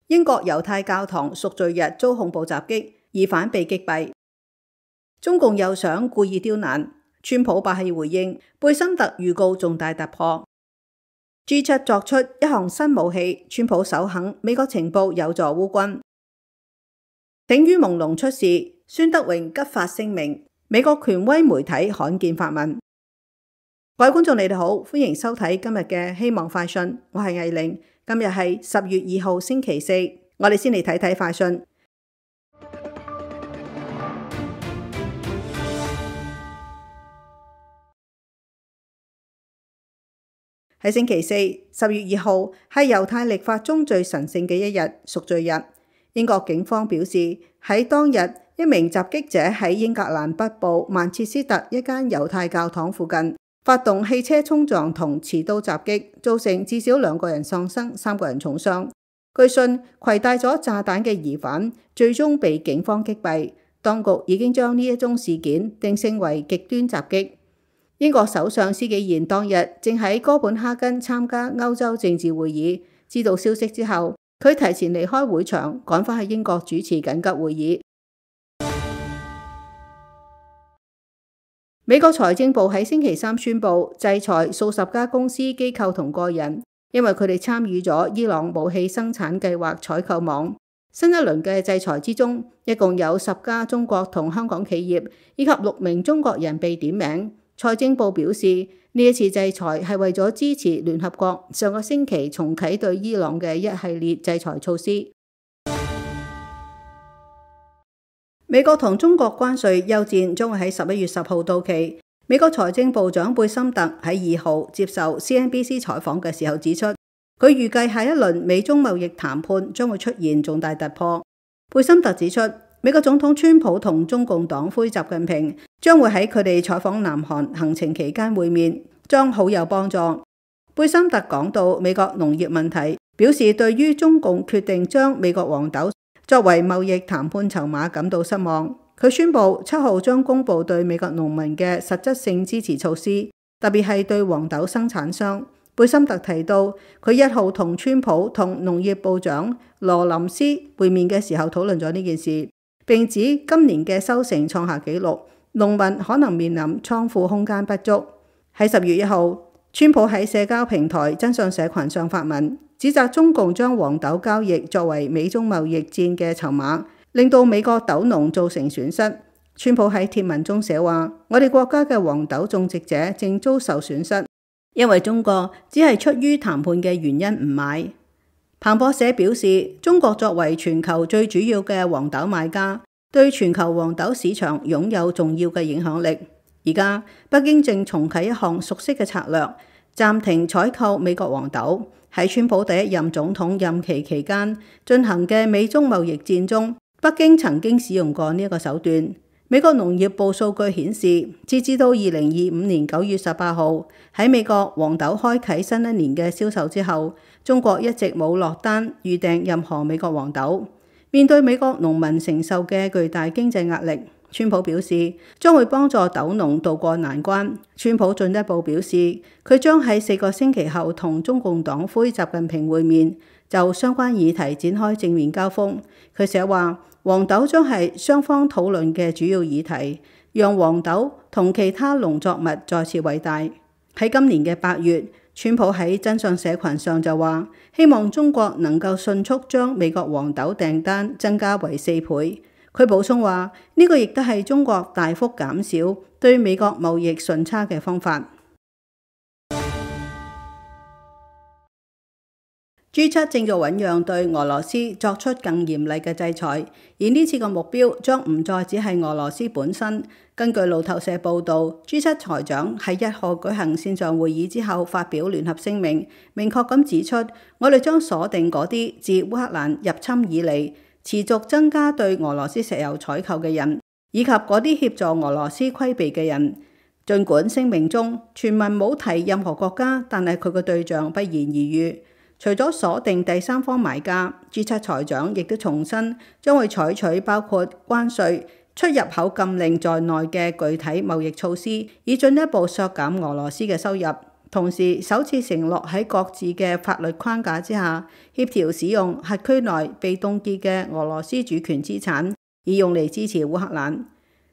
英國猶太教堂贖罪日遭恐怖襲擊，疑犯被擊斃。中共又想故意刁難，川普霸氣回應，貝森特預告重大突破。G7 作出一項新武器，川普首肯美國情報有助烏軍。頂於朦朧出事，孫德榮急發聲明，美國權威媒體罕見發問。各位觀眾你哋好，歡迎收睇今日嘅希望快訊，我係藝玲。今日係10月2號星期四，我哋先嚟睇睇快訊。喺星期四10月2號係猶太曆法中最神聖嘅一日，贖罪日。英國警方表示，喺當日一名襲擊者喺英格蘭北部曼徹斯特一間猶太教堂附近發動汽車衝撞同持刀襲擊，造成至少2個人喪生，3個人重傷。據信攜帶咗炸彈嘅疑犯最終被警方擊斃。當局已經將呢一宗事件定性為極端襲擊。英國首相施紀賢當日正喺哥本哈根參加歐洲政治會議，知道消息之後，佢提前離開會場，趕返去英國主持緊急會議。美國財政部喺星期三宣布制裁數十家公司、機構同個人，因為佢哋參與咗伊朗武器生產計劃採購網。新一輪嘅制裁之中，一共有10家中國同香港企業以及6名中國人被點名。財政部表示，呢一次制裁係為咗支持聯合國上個星期重啟對伊朗嘅一系列制裁措施。美國同中國關稅休戰將會喺11月10號到期。美國財政部長貝森特喺2號接受 CNBC 採訪嘅時候指出，佢預計下一輪美中貿易談判將會出現重大突破。貝森特指出，美國總統川普同中共黨魁習近平將會喺佢哋採訪南韓行程期間會面，將好有幫助。貝森特講到美國農業問題，表示對於中共決定將美國黃豆作為貿易談判籌碼感到失望。佢宣布7號將公布對美國農民嘅實質性支持措施，特別係對黃豆生產商。貝森特提到，佢1號同川普同農業部長羅林斯會面嘅時候討論咗呢件事，並指今年嘅收成創下紀錄，農民可能面臨倉庫空間不足。喺10月1號，川普喺社交平台真相社群上發文，指責中共將黃豆交易作為美中貿易戰嘅籌碼，令到美國豆農造成損失。川普喺貼文中寫話，我哋國家嘅黃豆種植者正遭受損失，因為中國只係出於談判嘅原因唔買。彭博社表示，中國作為全球最主要嘅黃豆買家，對全球黃豆市場擁有重要嘅影響力。而家北京正重啟一項熟悉嘅策略，暫停採購美國黃豆。喺川普第1任總統任期期間進行嘅美中貿易戰中，北京曾經使用過呢一個手段。美國農業部數據顯示，截至到2025年9月18號，喺美國黃豆開啟新一年嘅銷售之後，中國一直冇落單預訂任何美國黃豆。面對美國農民承受嘅巨大經濟壓力，川普表示將會幫助豆農渡過難關。川普進一步表示，佢將喺4個星期後同中共黨魁習近平會面，就相關議題展開正面交鋒。佢寫話，黃豆將係雙方討論嘅主要議題，讓黃豆同其他農作物再次偉大。喺今年嘅8月，川普喺真相社群上就話，希望中國能夠迅速將美國黃豆訂單增加為4倍。佢補充話，呢個亦都係中國大幅減少對美國貿易順差嘅方法。G7 正在醞釀對俄羅斯作出更嚴厲嘅制裁，而呢次嘅目標將唔再只係俄羅斯本身。根據路透社報導，G7 財長喺1號舉行線上會議之後發表聯合聲明，明確咁指出，我哋將鎖定嗰啲自烏克蘭入侵以嚟持續增加對俄羅斯石油採購嘅人，以及嗰啲協助俄羅斯規避嘅人。儘管聲明中全文冇提任何國家，但係佢嘅對象不言而喻。除咗鎖定第三方買家，G7 財長亦都重申將會採取包括關稅、出入口禁令在內嘅具體貿易措施，以進一步削減俄羅斯嘅收入。同時首次承諾喺各自嘅法律框架之下協調使用轄區內被凍結嘅俄羅斯主權資產，以用嚟支持烏克蘭。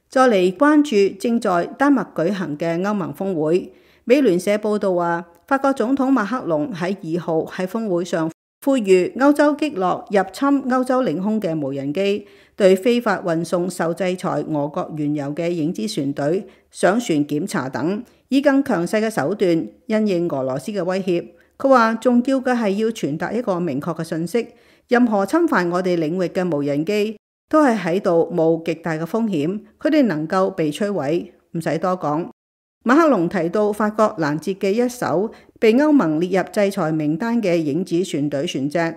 再嚟關注正在丹麥舉行嘅歐盟峰會，美聯社報道話，法國總統馬克龍喺2號喺峰會上呼籲歐洲擊落入侵歐洲領空嘅無人機，對非法運送受制裁俄國原油嘅影子船隊上船檢查等，以更強勢嘅手段因應俄羅斯嘅威脅。佢話重要嘅係要傳達一個明確嘅訊息，任何侵犯我哋領域嘅無人機都係喺度冒極大嘅風險，佢哋能夠被摧毀。唔使多講，馬克龍提到法國攔截嘅一艘被歐盟列入制裁名單嘅影子船隊船隻，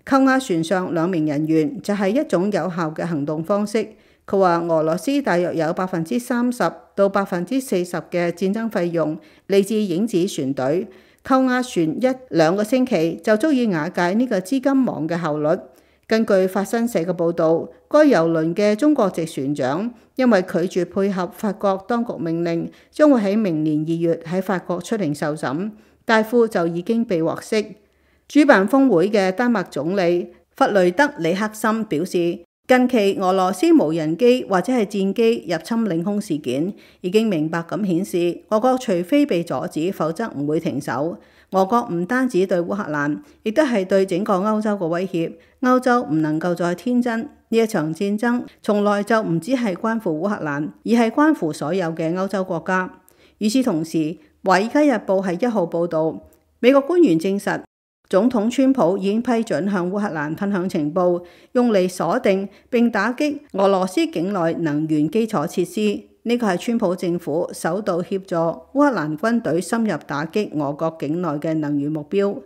扣押船上2名人員就係一種有效嘅行動方式。佢話俄羅斯大約有30%到40%嘅戰爭費用嚟自影子船隊，扣押船1-2個星期就足以瓦解呢個資金網嘅效率。根據法新社嘅報導，該郵輪嘅中國籍船長因為拒絕配合法國當局命令，將會喺明年2月喺法國出庭受審，大副就已經被獲釋。主辦峰會嘅丹麥總理弗雷德里克森表示，近期俄羅斯無人機或者係戰機入侵領空事件已經明白咁顯示，俄國除非被阻止，否則唔會停手。俄國唔單止對烏克蘭，亦都係對整個歐洲嘅威脅。歐洲唔能夠再天真，呢一場戰爭從來就唔只係關乎烏克蘭，而係關乎所有嘅歐洲國家。與此同時，《華爾街日報》係1號報導，美國官員證實，總統川普已經批准向烏克蘭分享情報，用嚟鎖定並打擊俄羅斯境內能源基礎設施。呢個係川普政府首度協助烏克蘭軍隊深入打擊俄國境內嘅能源目標。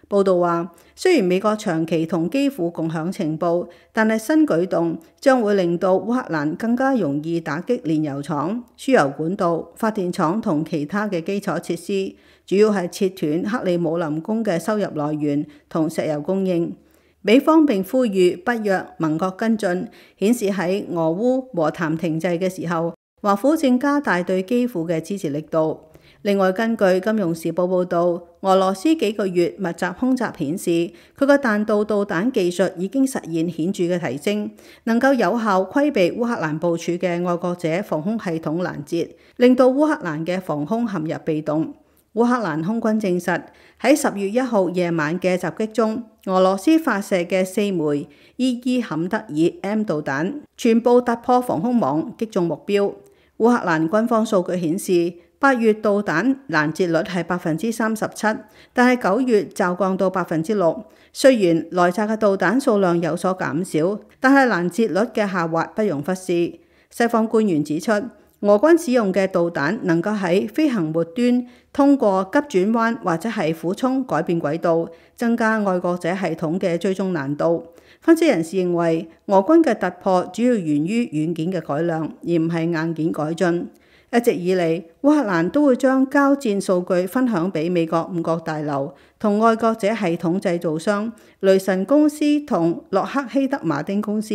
報道話，雖然美國長期同基輔共享情報，但係新舉動將會令到烏克蘭更加容易打擊煉油廠、輸油管道、發電廠同其他嘅基礎設施，主要係切斷克里姆林宮嘅收入來源同石油供應。美方並呼籲北約盟國跟進，顯示喺俄烏和談停滯嘅時候，華府正加大對基輔嘅支持力度。另外，根據《金融時報》報導，俄羅斯幾個月密集空襲顯示，佢個彈道導彈技術已經實現顯著嘅提升，能夠有效規避烏克蘭部署嘅愛國者防空系統攔截，令到烏克蘭嘅防空陷入被動。烏克蘭空軍證實，喺10月1號夜晚嘅襲擊中，俄羅斯發射嘅4枚伊坎德爾 M 導彈全部突破防空網，擊中目標。烏克蘭軍方數據顯示，8月導彈攔截率係37%，但係9月驟降到6%。雖然來襲嘅導彈數量有所減少，但係攔截率嘅下滑不容忽視。西方官員指出，俄軍使用嘅導彈能夠喺飛行末端通過急轉彎或者係俯衝改變軌道，增加愛國者系統嘅追蹤難度。分析人士認為，俄軍嘅突破主要源於軟件嘅改良，而唔係硬件改進。一直以嚟，烏克蘭都會將交戰數據分享俾美國5角大樓同愛國者系統製造商雷神公司同洛克希德馬丁公司，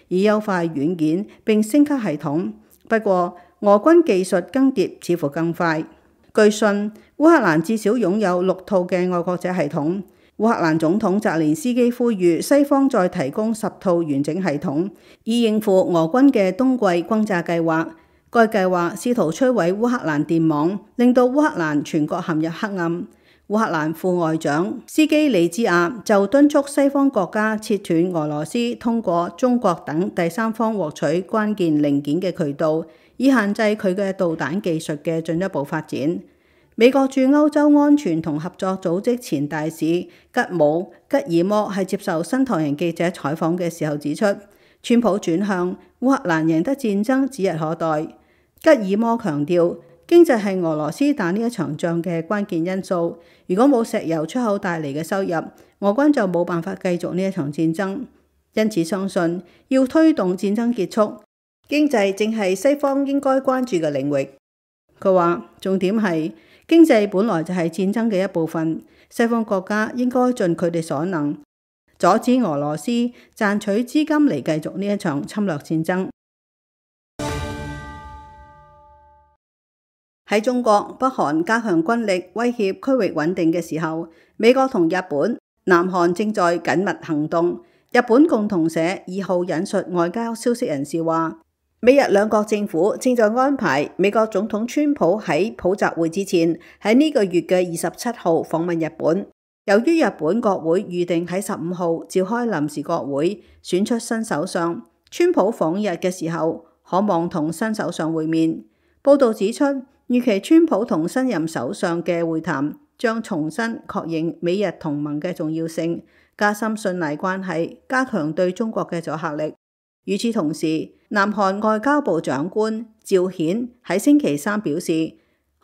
以優化軟件並升級系統。不過，俄軍技術更迭似乎更快。據信，烏克蘭至少擁有6套嘅愛國者系統。烏克蘭總統澤連斯基呼籲西方再提供10套完整系統，以應付俄軍嘅冬季轟炸計劃。該計劃試圖摧毀烏克蘭電網，令到烏克蘭全國陷入黑暗。烏克蘭副外長斯基里茲亞就敦促西方國家切斷俄羅斯通過中國等第三方獲取關鍵零件嘅渠道，以限制佢嘅導彈技術嘅進一步發展。美國駐歐洲安全同合作組織前大使吉姆吉爾摩喺接受新唐人記者採訪嘅時候指出，川普轉向烏克蘭贏得戰爭指日可待。吉爾摩強調，經濟係俄羅斯打呢一場仗嘅關鍵因素。如果冇石油出口帶嚟嘅收入，俄軍就冇辦法繼續呢一場戰爭。因此相信，要推動戰爭結束，經濟正係西方應該關注嘅領域。佢話，重點係經濟本來就係戰爭嘅一部分，西方國家應該盡佢哋所能，阻止俄羅斯賺取資金嚟繼續呢一場侵略戰爭。喺中國、北韓加強軍力威脅區域穩定嘅時候，美國同日本、南韓正在緊密行動。日本共同社2號引述外交消息人士話，美日兩國政府正在安排美國總統川普喺普習會之前喺呢個月嘅27號訪問日本。由於日本國會預定喺15號召開臨時國會，選出新首相，川普訪日嘅時候可望同新首相會面。報道指出，預期川普同新任首相嘅會談將重新確認美日同盟嘅重要性，加深信賴關係，加強對中國嘅阻嚇力。與此同時，南韓外交部長官趙顯喺星期三表示，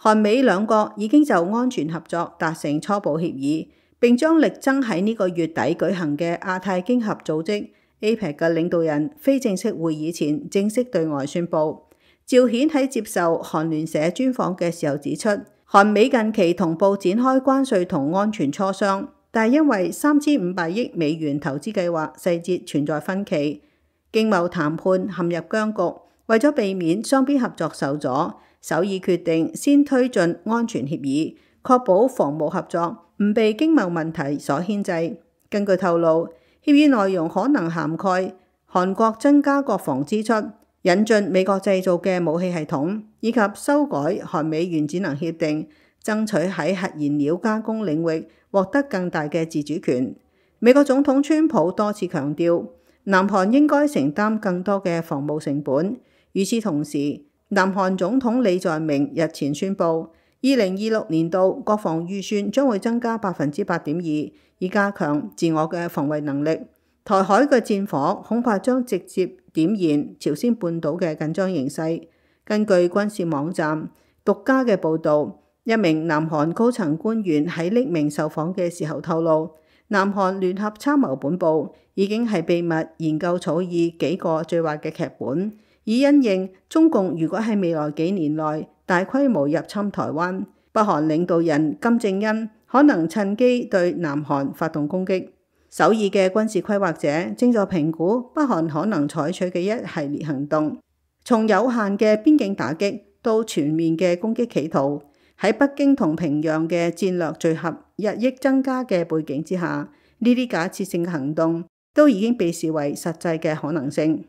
韓美兩國已經就安全合作達成初步協議，並將力爭喺呢個月底舉行嘅亞太經合組織 APEC 嘅領導人非正式會議前正式對外宣佈。趙顯喺接受韓聯社專訪嘅時候指出，韓美近期同步展開關稅同安全磋商，但係因為3500億美元投資計劃細節存在分歧，經貿談判陷入僵局。為咗避免雙邊合作受阻，首爾決定先推進安全協議，確保防務合作唔被經貿問題所牽制。根據透露，協議內容可能涵蓋韓國增加國防支出、引進美國製造嘅武器系統，以及修改韓美原子能協定，爭取喺核燃料加工領域獲得更大嘅自主權。美國總統川普多次強調，南韓應該承擔更多嘅防務成本。與此同時，南韓總統李在明日前宣布，2026年度國防預算將會增加8.2%，以加強自我嘅防衛能力。台海嘅戰火恐怕將直接點燃朝鮮半島嘅緊張形勢。根據軍事網站獨家嘅報導，一名南韓高層官員喺匿名受訪嘅時候透露，南韓聯合參謀本部已經係秘密研究草擬幾個最壞嘅劇本，以因應中共如果喺未來幾年內大規模入侵台灣，北韓領導人金正恩可能趁機對南韓發動攻擊。首爾嘅軍事規劃者正在評估北韓可能採取嘅一系列行動，從有限嘅邊境打擊到全面嘅攻擊企圖。喺北京同平壤嘅戰略聚合日益增加嘅背景之下，呢啲假設性嘅行動都已經被視為實際嘅可能性。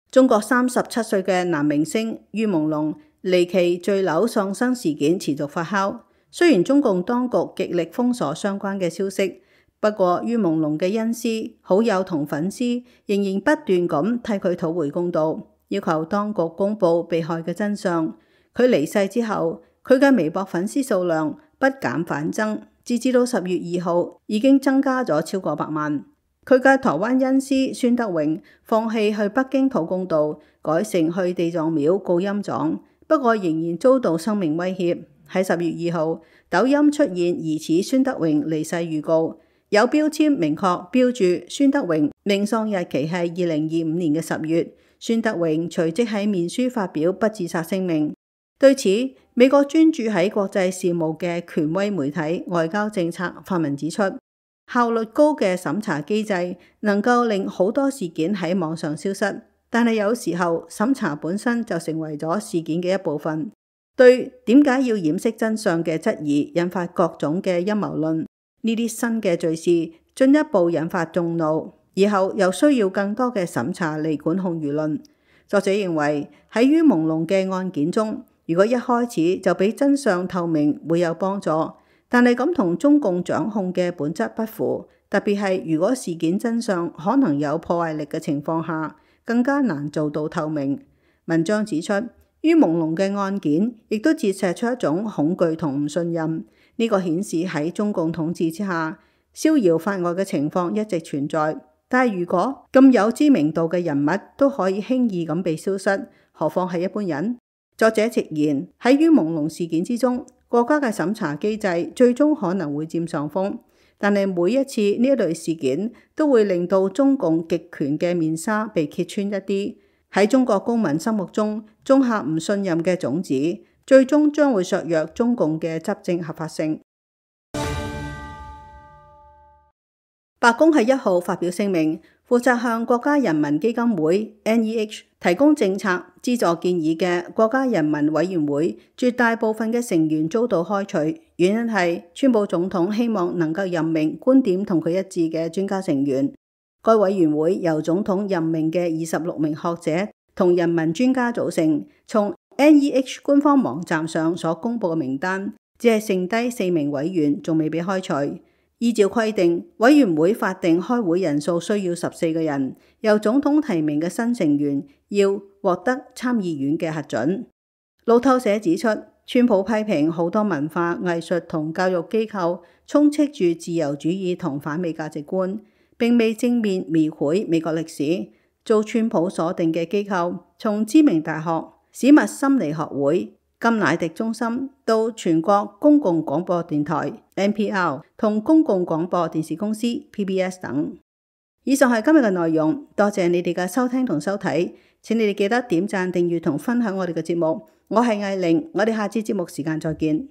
中國37歲嘅男明星于朦朧離奇墜樓喪生事件持續發酵。雖然中共當局極力封鎖相關嘅消息，不過于朦朧嘅恩師、好友同粉絲仍然不斷咁替佢討回公道，要求當局公布被害嘅真相。佢離世之後，佢嘅微博粉絲數量不減反增，截至到10月2號已經增加咗超過100萬。佢嘅台灣恩師孫德榮放棄去北京討公道，改成去地藏廟告陰狀，不過仍然遭到生命威脅。喺10月2號，抖音出現疑似孫德榮離世預告，有標籤明確標注孫德榮命喪日期係2025年嘅10月。孫德榮隨即喺面書發表不自殺聲明。對此，美國專注喺國際事務嘅權威媒體外交政策發文指出，效率高嘅審查機制能夠令好多事件喺網上消失，但係有時候審查本身就成為咗事件嘅一部分。對點解要掩飾真相嘅質疑引發各種嘅陰謀論，呢啲新嘅罪事進一步引發眾怒，以後又需要更多嘅審查嚟管控輿論。作者認為喺于朦朧嘅案件中，如果一開始就俾真相透明會有幫助，但係咁同中共掌控嘅本質不符，特別係如果事件真相可能有破壞力嘅情況下，更加難做到透明。文章指出，于朦朧嘅案件亦都折射出一種恐懼同唔信任，呢個顯示喺中共統治之下，逍遙法外嘅情況一直存在。但係如果咁有知名度嘅人物都可以輕易咁被消失，何況係一般人？作者直言，喺于朦朧事件之中，國家嘅審查機制最終可能會佔上風，但係每一次呢一類事件都會令到中共極權嘅面紗被揭穿一啲，喺中國公民心目中種下唔信任嘅種子，最終將會削弱中共嘅執政合法性。白宮喺1號發表聲明，負責向國家人民基金會 NEH 提供政策資助建議嘅國家人民委員會絕大部分嘅成員遭到開除，原因係川普總統希望能夠任命觀點同佢一致嘅專家成員。該委員會由總統任命嘅26名學者同人民專家組成。從 NEH 官方網站上所公布嘅名單，只係剩低4名委員仲未被開除。依照規定，委員會法定開會人數需要14個人，由總統提名嘅新成員要獲得參議院嘅核准。路透社指出，川普批評好多文化、藝術同教育機構充斥住自由主義同反美價值觀，並未正面描繪美國歷史。遭川普鎖定嘅機構，從知名大學、史密心理學會、甘迺迪中心到全國公共廣播電台 NPR 同公共廣播電視公司 PBS 等。以上係今日嘅內容，多謝你哋嘅收聽同收睇，請你哋記得點讚、訂閱同分享我哋嘅節目。我係艾玲，我哋下次節目時間再見。